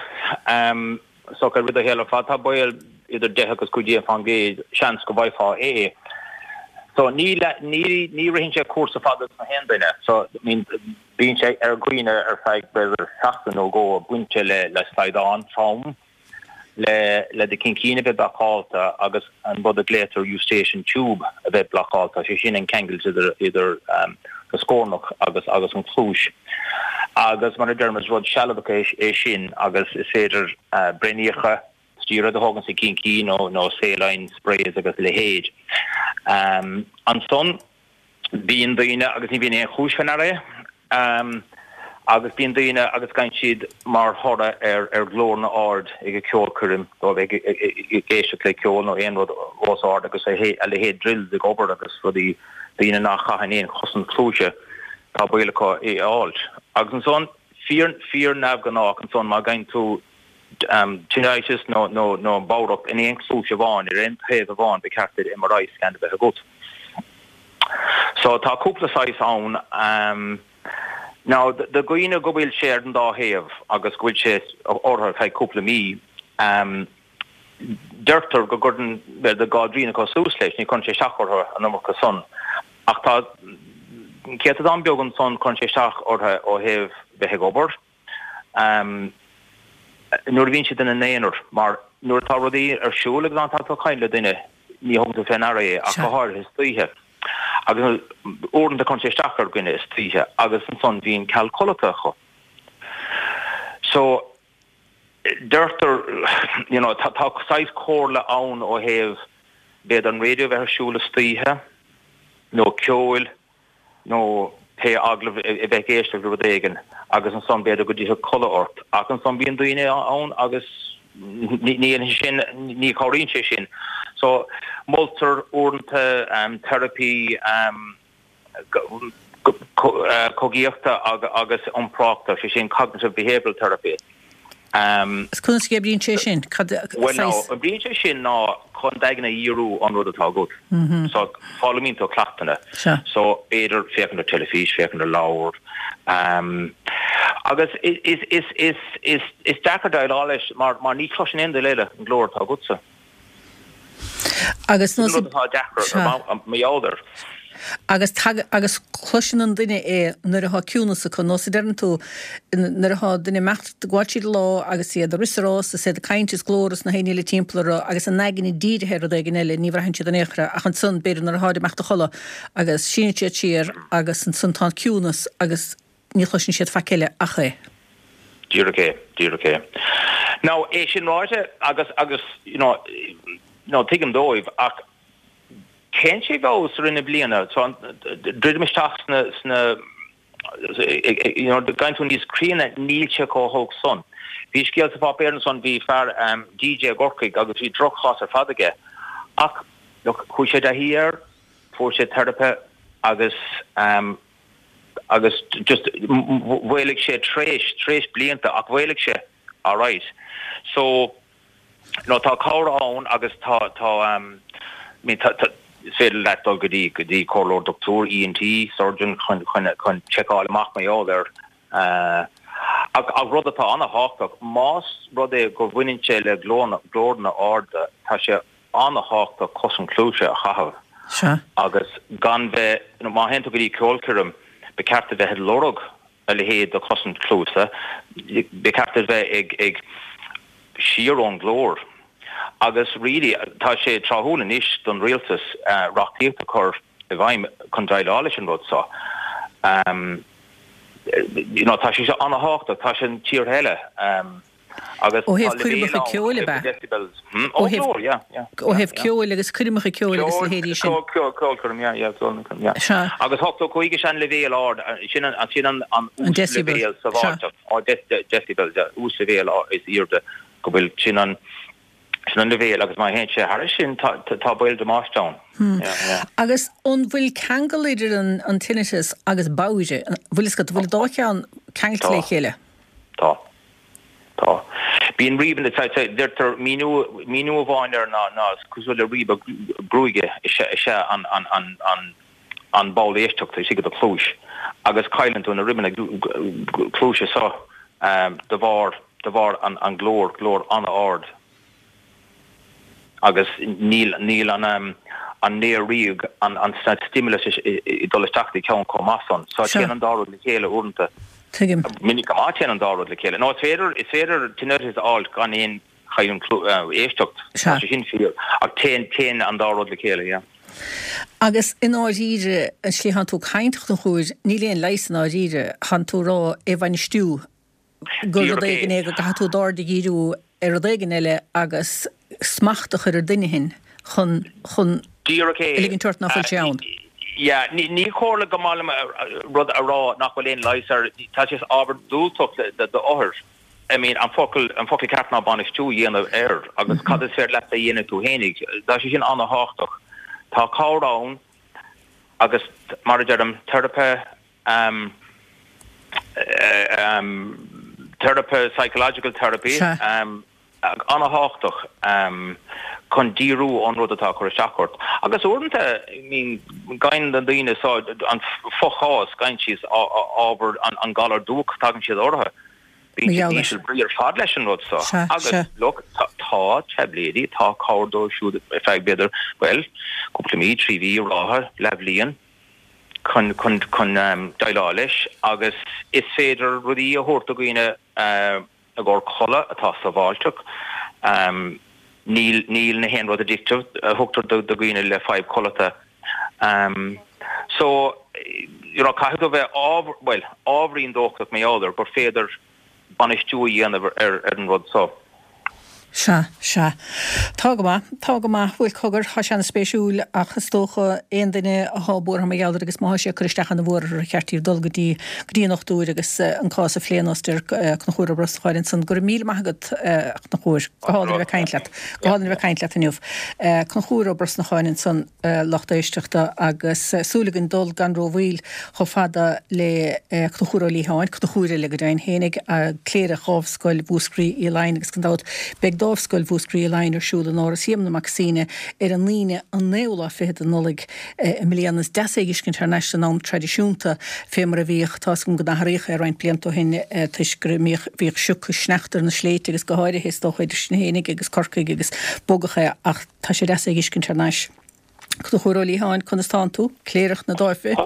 so i rith do shaoil ar fad, tá baol idir deich agus cúig déag fán gcéad seans go bhfaighfeá é. So ní ní ní ritheann sé cúrsa fada sna haon duine. So I mean bíonn sé ar dhaoine ar feadh b'fhéidir seachtain nó dhó bainte le le slaghdán trom le le do chincín a bheith blocáilte agus an rud a glaotar eustachian tube a bheith blocáilte, sé sin an ceangal idir idir um, do scornach agus agus an chluais. Agus mar a deirim is rud sealadach é, é sin agus is féidir uh, braoiníocha stéaróid a thógaint sa chincín nó nó saline sprays agus leithéid. Um, ansan bíonn daoine agus ní bhíonn aon chúis faoi ndeara é. Um, agus bíonn daoine agus gabhann siad mar thoradh ar ar ghlórna ard ag ceolchoirm nó ag éisteacht le ceol nó aon rud os ard agus a a leithéid drills ag obair agus rudaí daoine nach gcaitheann aon chosaint cluaise tá baol acu é a fháilt. Agus ansan fíor fíor neamhghnách ansan má ghabhann tú um, tinnitus nó nó nó bodhracht in aon chluais amháin ar aon taobh amháin ba cheart duit MRI scan a bheith agat. So tá cúpla saghas ann um, Now do dhaoine go bhfuil sé ar an dá thaobh agus go bhfuil sé orthu feadh cúpla mí um, deirtear go gcuireann de dhá dtrian acu suas leis ní chuireann sé isteach orthu an iomarca san. Ach tá céatadán beag ansan cuireann sé isteach orthu ó thaobh bheith ag obair. Um, nuair a bhíonn siad ina n-aonar mar nuair atá rudaí ar siúl agus an tá tú caint le duine ní thugann tú faoi ndeara é ach go háirithe istoíche. Agus uaireanta cuireann sé isteach ar dhuine istoíche agus ansan bhíonn ceal codlata acu. So deirtear you know, tá tá saghas comhairle ann ó thaobh b'fhéidir an raidió bheith ar siúl istoíche nó ceol nó pé agallamh a bheith ag éisteacht le rud éigin agus ansan b'fhéidir go dtiocfadh codladh ort ach ansan bíonn daoine ann agus ní sin ní chabhraíonn sé sin. So moltar uaireanta um, therapy um, cogaíochta agus iompraíochta sé sin cognitive behavioral therapy. Um, Conas a oibríonn sé sin? Well no, oibríonn sé sin ná chun d'aigne a dhíriú ón rud atá agat. Mm -hmm. So foghlaimíonn tú cleachtanna. So b'fhéidir féachaint ar teilifís, féachaint ar leabhar. Um, agus is is is is is is deacair déileáil leis mar mar ní chloiseann aon duine eile an glór atá agatsa. Agus nó atá deacair mar gheall air. Agus agus cloiseann an duine é nuair atá ciúnas acu nó sa deireann tú nuair atá duine ag imeacht gabháil tríd an lá agus iad ag rith is ag rás is iad ag caint is glór is na héinne le timpeall orthu agus a n-aigne dírithe ar rud éigin eile ní bhraitheann siad in aon chor ach ansan b'fhéidir nuair atá ag imeacht a chodladh agus síneann siad siar agus ansan tá an ciúnas agus ní chloiseann siad faic eile ach é. Díreach é, díreach é. Now é sin ráite agus agus you know, no tuigim dóibh ach téann sé i bhfeabhas i rith na bliana so druidim isteach sna sna you know gabhann tú níos críonna níl sé chomh holc san. Bhí scéal sa pháipéar ansan bhí fear um, DJ i gCorcaigh agus bhí drochchás ar fad aige ach look chuaigh sé i dtaithí air fuair sé teiripe agus um, agus just mhaolaigh sé tréis tréis blianta ach mhaolaigh sé all right. So no tá cabhair ann agus tá tá um, I mean, tá, tá, is féidir leat dul go dtí go dtí comhairleoir dochtúir ENT surgeon chun chun chun seiceáil amach mar gheall air uh, ach ach rud atá an-tábhachtach más rud é go bhaineann sé le glórna glórna arda tá sé an-tábhachtach cosaint cluaise a chaitheamh Sea. agus gan bheith you know, má théann tú go dtí ceolchoirm ba cheart a bheith ag lorg a leithéid de chosaint cluaise ba cheart a bheith ag ag siar ón glór. Agus really tá sé tráthúil anois don rialtas uh, reachtaíocht a chur i bhfeidhm chun déileáil leis an rud seo. Um, you know, tá sé seo an-tábhachtach tá sin tír eile um, agus Ó thaobh coirmeacha ceoil ab ea? decibels. Hmm? Ó Ó thaobh- glór, yeah, yeah. Ó thaobh ceoil agus coirmeacha ceoil agus leithéidí sin. Ceolchoirm, yeah, yeah, ceolchoirm, yeah. Sea. Agus ochtó cúig sin an leibhéal ard, sin an sin an an An decibel, uasleibhéal sábháilteach. Á decibel, yeah, uasleibhéal is airde go bhfuil sin an Sin an leibhéal agus má théann sé thairis sin tá tá baol damáiste ann. Yeah, yeah. Agus an bhfuil ceangal idir an an tinnitus agus bodhaire? Bhfuil fhios agat, bhfuil an dá cheann ceangailte le Tá. chéile? Tá. Tá. Bíonn ríbanna, tá, tá, deirtear míniú, míniú amháin air ná, ná is cosúil le ribe gruaige is ea, is ea an, an, an, an, an ball éisteachta istigh i do chluais agus cailleann tú na ribeanna cluaise seo de bharr, de bharr an, an glór, glór an-ard. Agus níl, níl an, an néar ríoga, an, an stimulus ag dul isteach i do cheann chomh maith san. So Sea. téann an dá rud le chéile uaireanta. Tuigim. Minic go maith téann an dá rud le chéile. Nó is féidir, is féidir tinnitus a fháil gan aon chailliúint éisteacht. Sea. Tá sé sin fíor. Ach téann, téann an dá rud le chéile, yeah. Agus i ndáiríre, an tslí a thánn tú ag caint, a Chonchúir, níl aon leigheas i ndáiríre, thánn tú ag rá é a bhainistiú, gur rud Díreach éigin é. é go gcaithfidh tú d'aird a dhíriú ar rud éigin eile agus smacht a chur ar dhuine éigin chun, chun Díreach é. a ligint ort ná fuil sé ann. Yeah, ní, ní chomhairle go maith liom rud a rá nach bhfuil aon leigheas air, tá sé ábhar diúltach d'othair. I mean, an focal, an focal ceart ná bainistiú a dhéanamh air agus cad is féidir leat a dhéanamh tú fhéinig. Tá sé sin an-tábhachtach. Tá cabhair ann agus mar a deirim, teiripe, um, um, teiripe, psychological therapy, Sea. um, an-tábhachtach um, chun díriú ón rud atá ag cur isteach ort. Agus uaireanta, I mean, gabhann na daoine seo an fochás, gabhann siad ábhar an, an galar dubhach tagann siad orthu. Bíonn Mar siad gheall leis. íseal brí ar fad leis an rud seo. Sea, Agus sea. look, tá, tá taibléidí, tá cabhair dóibh siúd ar feadh b'fhéidir, well, cúpla mí, trí mhí, ráithe, leathbhliain, chun, chun, chun um, déileáil leis agus is féidir rudaí a thabhairt do dhaoine uh, i gcomhair codladh atá sábháilteach. Um, níl, níl na haon rud addictive a thugtar do do dhaoine le fadhb codlata. Um, so, you know, caithfidh tú bheith ábhar, well, ábhairín dóchasach mar gheall air gur féidir bainistiú a dhéanamh ar, ar an rud seo. Sea, sea. Tá go maith, tá go maith, bhuel cogar, tá sé an-spéisiúil ach is dócha aon duine atá buartha mar gheall air agus má thá sé ag cur isteach ana mhór orthu ar cheart díobh dul go dtí go dtí an dochtúir agus eh, an cás a phlé ar eh, Conchúr Ó Brosnacháin ansan. Go raibh míle maith agat eh, a Chonchúir, go hálainn a bheith ag caint leat, go hálainn a bheith ag caint leat inniu. Eh, Conchúr Ó Brosnacháin ansan eh, lucht éisteachta agus eh, súil againn dul gan rómhoill chomh fada le eh, Conchúr Ó Liatháin, Conchúr eile go deimhin fhéinig, cléireach Dhámhscoil Mhúscraí Uí Laighin agus gan dabht beidh Dámhscoil Mhúscraí Uí Laighin ar siúl in Áras Éamonn Mac Suibhne ar an Aoine an naoú lá fichead de Nollaig eh, i mbliana is deas é a fheiscint thar n-ais san am traidisiúnta fé mar a bhíodh tá go n-athraíodh é roinnt blianta ó shin eh, toisc go mbíodh bhíodh sioc sneachta ar na sléibhte agus go háirithe is dócha idir sinn fhéinig agus Corcaigh agus bogadh é ach tá sé deas é a fheiscint thar n-ais. Conchúr Ó Liatháin, conas tánn tú, cléireach na Dáimhe.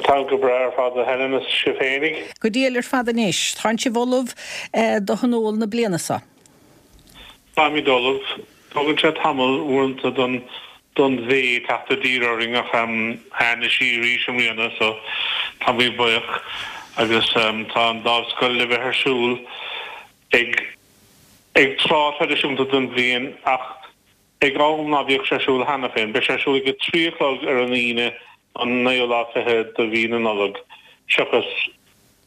Tá go breá ar fad a Helen is sibh fhéinig. Go diail ar fad anois, Tánn sibh ullamh eh, do thionól na bliana seo. Táimid ullamh. Tugann sé tamall uaireanta don don bhé teacht i dtír orainn ach um, tháinig sí arís i mbliana so táimid buíoch agus um, tá an dámhscoil le bheith ar siúl ag ag tráth traidisiúnta den bhliain ach ag am ná bhíodh sé ar siúl cheana féin, Beidh sé ar siúl ag a trí a chlog ar an Aoine an naoú lá fiche de mhí na Nollag seachas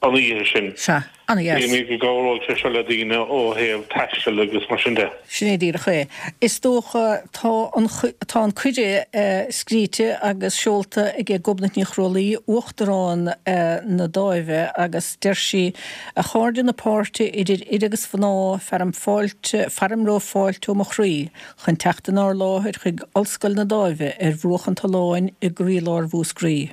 an oíche sin. Sea, ana-dheas. Bhí go gcabhróidh sé seo le daoine ó thaobh taistil agus mar sin de. Sin é díreach é. Is dócha tá an tá an cuireadh eh, scríte agus seolta ag Gobnait Ní Chrólaí uachtarán eh, na Dáimhe agus deir sí a chairde na páirte idir fhir agus mhná fearaim fáilte fearaim romhaibh fáilte ó mo chroí chun teacht inár láthair chuig Ollscoil na Dáimhe ar bhruach an tolláin i gcroílár Mhúscraí.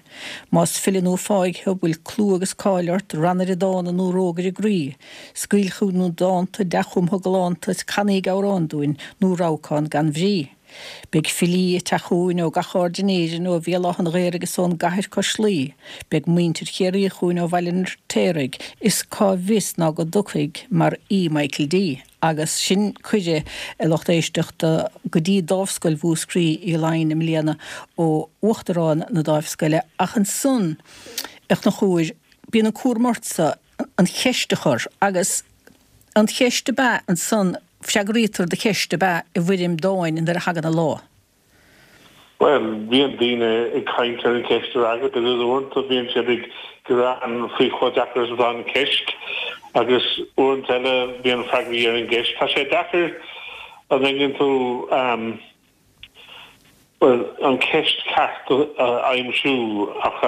Más file nó fáidh thú bhfuil clú agus cáil ort rannaire dána nó rógaire groí, Scaoil chugainn dánta dea-chumtha galánta canaíg amhrán dúinn nó rabhcán gan bhrí. Beidh filí ag teacht chugainn ó gach aird in Éirinn ó Bhéal Átha an Ghaorthaidh agus ón gcathair cois Laoi, Beidh muintir Chiarraí chugainn ó Bhaile an Fheirtéaraigh, is cá bhfios ná go dtiocfaidh mar aoi Michael D. Agus sin cuireadh a lucht éisteachta go dtí Dámhscoil Mhúscraí Uí Laighin i mbliana ó uachtarán na Dáimhscoile ach ansan a Chonchúir bíonn an cúram ortsa an cheist a chur agus an cheist ab ea ansan freagraítear do cheist ab ea i bhfoirm dáin nuair a thagann an lá. Well, bíonn daoine ag caint ar an cheist a fhreagairt agus uaireanta bíonn siad ag gearán faoi chomh deacair is atá an cheist agus uaireanta eile bíonn freagraí ar an gceist. Tá sé deacair An dtuigeann tú, bhuel, an ceist ceart a aimsiú ach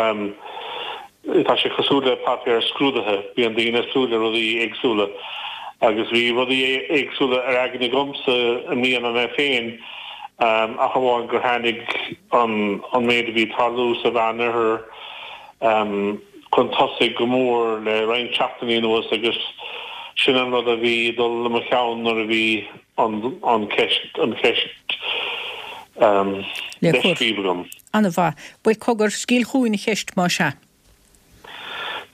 tá sé cosúil le páipéar scrúdaithe, bíonn daoine ag súil le rudaí éagsúla agus bhí rudaí éagsúla ar aigne agamsa i mbliana mé féin ach amháin gur tháinig an an méid a bhí ag tarlú sa Mheánoirthear chun tosaigh go mór le roinnt seachtainí anuas agus sin an rud a bhí ag dul i mo cheann nuair a bhí an an ceist an cheist le scríobh agam. An-mhaith. Bhuel cogar, scaoil chugainn an cheist más ea.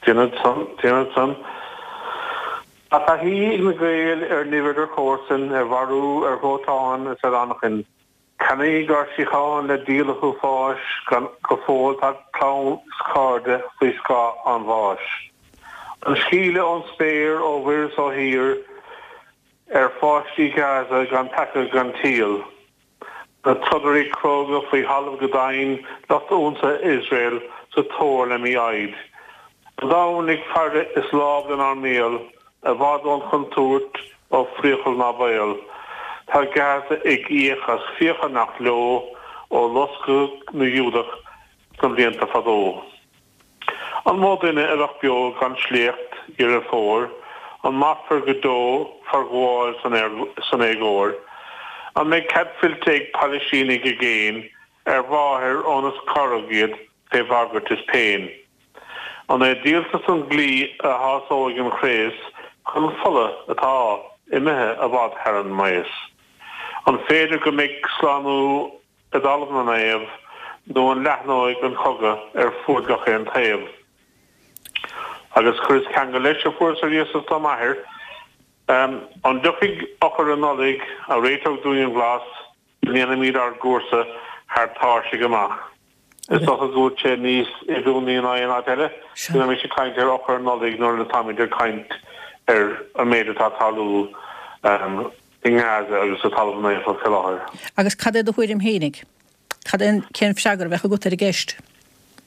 Déanfad san, déanfad san. Tá taithí ag na Gaeil ar nimh idir chomharsain, ar mharú, ar dhóiteán is ar anachain. Ceannaíodh ár síocháin le díol an uafáis, gan go fóill tá clann is cairde faoi scáth an bháis. An scaoileadh ón spéir, ó mhuir is ó thír, ar pháistí Gaza gan peaca gan triail. Na trodairí cróga faoi thalamh go domhain, lucht ionsaithe Iosrael sa tóir le mí-fhoighid. An domhan ag faire is lámh lenár mbéal, i bhfad ón chontúirt, ó phriacal ná baol. Tá Gaza ag íoc as fiacha nach leo ó loscadh na Giúdach sna blianta fadó. An mó duine a bheadh beo gan sléacht Dheireadh Fómhair? An mairfear go deo forghabháil san éagóir? An mbeidh cead fillte ag Palaistínigh i gcéin ar mháthair óna scaradh iad fé bhagairt is péin? An é díoltas an dlí a shásóidh an craos chun fola atá imithe i bhfad thar an maos? An féidir go mbeidh slánú i dtalamh na naomh nó an leathnóidh an cogadh ar fuaid gach aon taobh? Agus chuireas ceangal leis a fuaireas ar iasacht ó m'athair. An dtiocfaidh eochair an Nollaig a réiteoidh dúinn an bhlas go ndéanfaimid ár gcúrsa thar tairsigh amach? Is dócha go bhfuil sé níos oiriúnaí ná aon áit eile go mbeimis ag caint ar eochair an Nollaig nuair atáimid ag caint ar an méid atá ag tarlú i nGaza agus sa Talamh Naofa faoi láthair. Agus cad é do thuairim fhéinig? Cad é an, cén freagra a bheadh agat ar an gceist?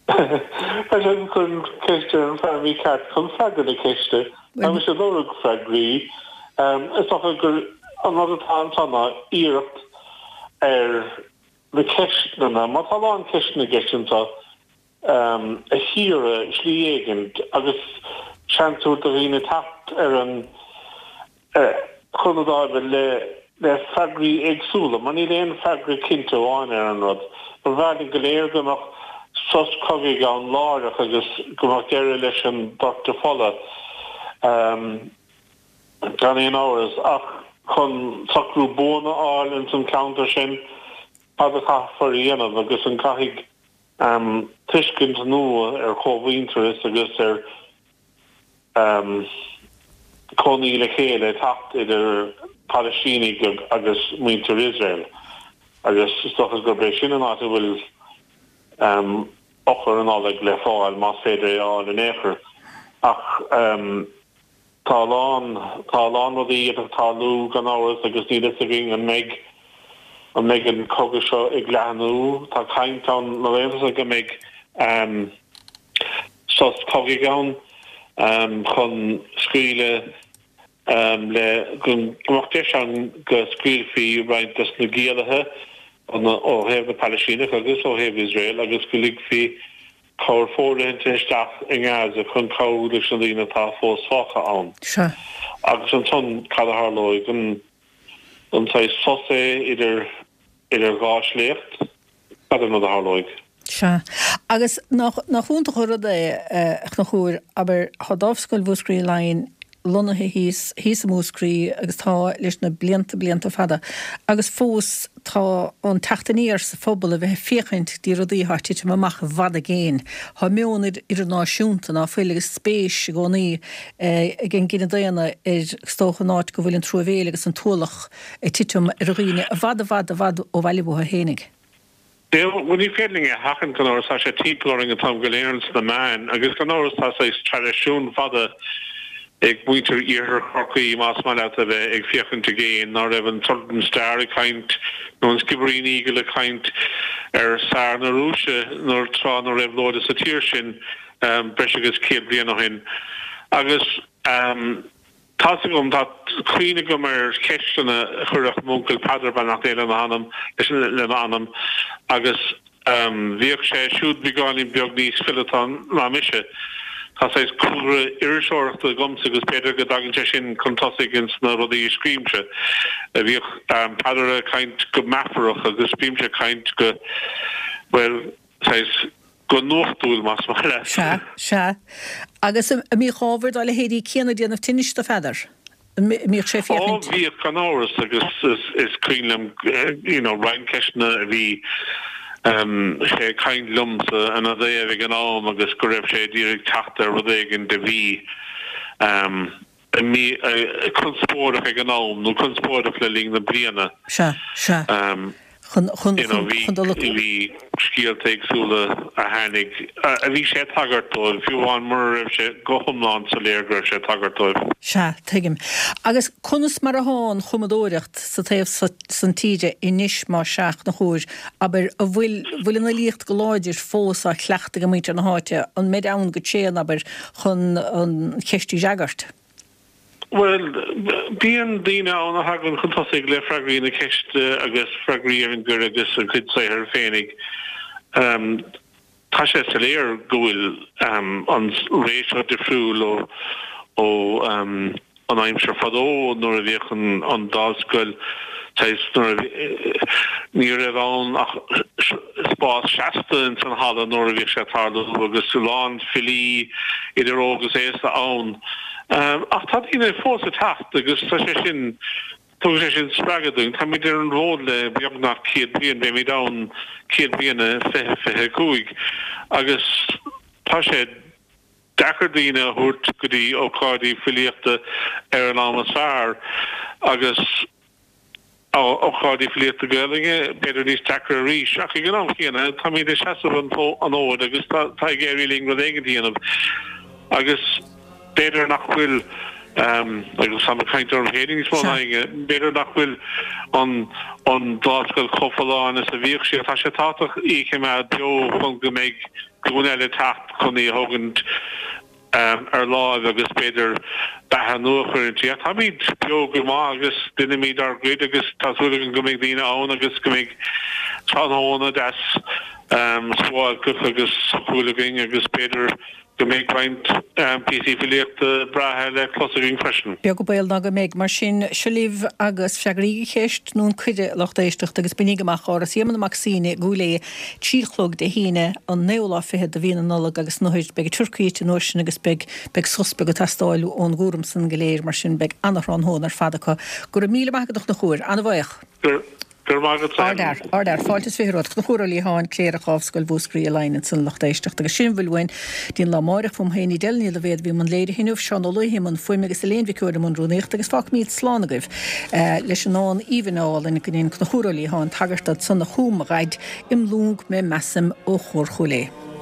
Tá sé ag cur an ceist ar an fear mícheart chun freagra na ceiste. Tá mise ag lorg freagraí. Is dócha gur an rud atá anso ná iarracht ar na ceisteanna, má tá a lán ceisteanna i gceist anso, a chíoradh slí éigin agus seans a thabhairt do dhaoine teacht ar an chun na dáimhe le le freagraí éagsúla, mar níl aon freagra cinnte amháin ar an rud. Ba bhreá linn go léir go mbeadh sos cogaidh ann láithreach agus go mbeadh deireadh leis an doirteadh fola, gan aon amhras, ach chun socrú buan a fháil ins an cheantar sin, cad a chaithfear a dhéanamh agus an gcaithfidh tuiscint nua ar chómhuintearas agus ar cónaí le chéile teacht idir Palaistínigh agus muintir Iosrael agus is dócha gurb é sin an áit a bhfuil eochair an Nollaig le fáil, más féidir é a fháil in aon chor. Ach tá a lán, tá a lán rudaí ag tarlú gan amhras agus níl fhios againn an mbeidh, an mbeidh an cogadh seo ag leathnú. Tá caint ann na laethanta seo go mbeidh sos cogaidh ann chun scaoileadh le go mbeadh deis ann go scaoilfí roinnt des na giallaithe ó thaobh na Palaistíneach agus ó thaobh Iosrael agus go ligfí cabhair fóirithinte isteach i nGaza chun cabhrú leis na daoine atá fós fágtha ann. Sea. Agus ansan cad a tharlóidh? An an saghas sos é idir idir dhá shléacht? Cad é an rud a tharlóidh? Sea. Agus nach nach iontach an rud é, a Chonchúir, abair, tá Dámhscoil Mhúscraí Laighean lonnaithe thíos, thíos i Múscraí agus tá leis na blianta, blianta fada agus fós tá an teacht aniar sa phobal a bheith ag féachaint dtí rudaí atá ag titim amach i bhfad i gcéin. Tá meon idirnáisiúnta ná fuil agus spéis i gcónaí ag an gcine daonna ar, is dócha, an áit go bhfuil an truamhéil agus an t-ualach ag titim ar dhaoine i bhfad, i bhfad, i bhfad ó bhaile uathu fhéinig. Bhuel, ní féidir linn é a sheachaint, gan amhras, tá sé timpeall orainn an t-am go léir sna meáin agus gan amhras tá saghas traidisiún fada ag muintir Iarthar Chorcaí, más maith leat, a bheith ag féachaint i gcéin, ná raibh an Southern Star ag caint nó an Skibbereen Eagle ag caint ar Tsar na Rúise nuair tráth na réabhlóide sa tír sin breis agus céad bliain ó shin agus. Tá's agam, tá cuimhne agam ar cheisteanna a chuireadh m'uncail Peadar, beannacht Dé lena anam, lena anam, agus bhíodh sé siúd beagáinín beag níos fileata ná mise. Tá saghas cúlra iriseoireachta agamsa agus b'fhéidir go dtagann sé sin chun tosaigh ins na rudaí a scríobhaimse. Bhíodh Peadar ag caint go meafarach agus bímse ag caint go, bhuel, saghas go nuachtúil, más maith leat. Sea, sea. Agus an mbíodh ábhar dá leithéidí céanna ag déanamh tinnis do Pheadar? An mbíodh sé ag féachaint? Ó, bhíodh, gan amhras, agus is cuimhin liom, you know, roinnt ceisteanna a bhí sé ag caint liomsa ina dtaobh ag an am agus go raibh sé ag iarraidh teacht ar rud éigin a bhí conspóideach ag an am nó conspóideach le linn na bliana. Sea, sea. Chun, chun, chun, chun dul. Bhí scéalta éagsúla a tháinig, a bhí sé ag tagairt dóibh, fiú amháin mura raibh sé go hiomlán soiléir go raibh sé ag tagairt dóibh. Sea, tuigim. Agus conas mar athá an chumadóireacht sa taobh san tíre anois, más ea, a Chonchúir, abair, an bhfuil, bhfuil an fhilíocht go láidir fós á cleachtadh ag muintir na háite, an mbeid ann go tréan, abair, chun an cheist a fhreagairt? Bhuel, bíonn daoine ann a thagann chun tosaigh le freagraí na ceiste agus freagraí ar an gcuireadh agus a gcuid saothair féinig. Tá sé soiléir go bhfuil an ré seo difriúil ó an aimsir fadó nuair a bhíodh an Dámhscoil saghas nuair a ní raibh ann ach spás seasta ins an halla nuair a bhíodh sé ag tarlú agus a lán filí idir óg agus aosta ann. Ach tá daoine fós ag teacht agus tá sé sin, tugann sé sin spreagadh dúinn. Táimid ar an bhfód le beagnach céad bliain, beimid ann céad bliain i fiche fiche a cúig agus tá sé deacair daoine a thabhairt go dtí ócáidí filíochta ar an am is fearr agus ócáidí filíochta Gaelainne, b'fhéidir níos deacra arís, ach ag an am chéanna táimid ag seasamh an fhóid agus tá ag éirí linn rud éigin a dhéanamh agus b'fhéidir nach bhfuil, agus táim ag caint orm féin níos mó ná éinne, b'fhéidir nach bhfuil an an Dámhscoil chomh folláin is a bhíodh sí ach tá sé tábhachtach í a choimeád beo chun go mbeidh glúin eile ag teacht chun í a thógaint ar láimh agus b'fhéidir beatha nua a chur inti. Ach táimid beo go maith agus déanaimid ár gcuid agus tá súil againn go mbeidh daoine ann agus go mbeidh tráthnóna deas suáilceach agus socúil againn agus b'fhéidir go mbeidh roinnt píosaí filíochta breátha le clos againn freisin. Beag an baol ná go mbeidh. Mar sin, seo libh agus freagraígí an cheist nó an cuireadh, a lucht éisteachta, agus bainigí amach Áras Éamonn Mac Suibhne i gCúil Aodha trí a chlog Dé hAoine, an naoú lá fichead de mhí na Nollag agus nuair, beidh an turcaí ite an uair sin agus beidh, beidh sos beag ag teastáil ón gcúram san go léir, mar sin beidh ana-thráthnóna ar fad acu. Go raibh míle maith agat a Chonchúir, ana-bhaoch. Go raibh maith agat Ard fhear, ard fhear. Fáilte is fiche romhat. Conchúr Ó Liatháin, Cléireach Dhámhscoil Mhúscraí i Laighin ansan a lucht éisteachta agus sin a bhfuil uainn dtí'n lá amáireach. Fúm féin Edel Ní Loibhéad a bhí i mbun léirithe inniu, Seán Ó Laoithe i mbun fuaime agus Elaine Mhic Eoin i mbun rúnaíochta agus fágfaimíd slán agaibh leis an ndán aoibhinn álainn go ndein Conchúr Ó Liatháin tagairt dó ansan a chum mo dhaid im lúng mé measaim ó Chór Chúil Aodha.